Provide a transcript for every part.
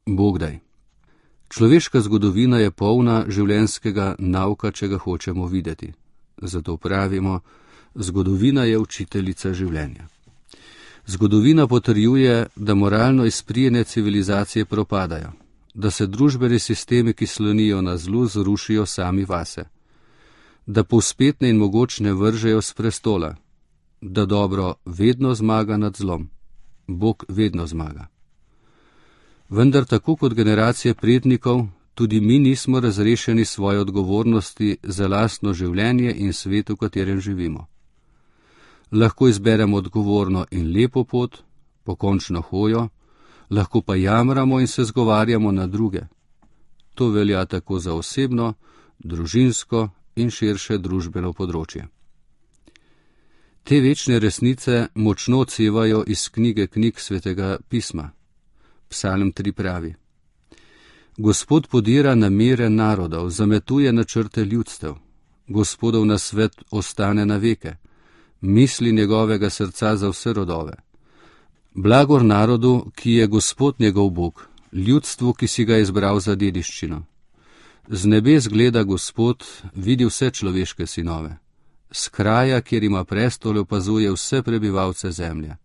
Bogdaj. Človeška zgodovina je polna življenjskega nauka, če ga hočemo videti. Zato pravimo, zgodovina je učiteljica življenja. Zgodovina potrjuje, da moralno izprijene civilizacije propadajo, da se družbeni sistemi, ki slonijo na zlu, zrušijo sami vase, da povspetne in mogočne vržejo s prestola, da dobro vedno zmaga nad zlom. Bog vedno zmaga. Vendar tako kot generacije prednikov, tudi mi nismo razrešeni svoje odgovornosti za lastno življenje in svet, v katerem živimo. Lahko izberemo odgovorno in lepo pot, pokončno hojo, lahko pa jamramo in se zgovarjamo na druge. To velja tako za osebno, družinsko in širše družbeno področje. Te večne resnice močno odsevajo iz knjig Svetega pisma. Psalm 3 pravi: Gospod podira namere narodov, zametuje načrte ljudstev. Gospodov nasvet ostane na veke, misli njegovega srca za vse rodove. Blagor narodu, ki je Gospod njegov Bog, ljudstvu, ki si ga izbral za dediščino. Z nebes gleda Gospod, vidi vse človeške sinove. S kraja, kjer ima prestol, opazuje vse prebivalce zemlje.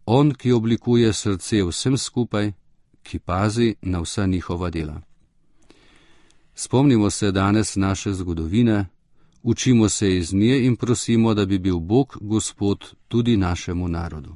On, ki oblikuje srce vsem skupaj, ki pazi na vsa njihova dela. Spomnimo se danes naše zgodovine, učimo se iz nje in prosimo, da bi bil Bog Gospod tudi našemu narodu.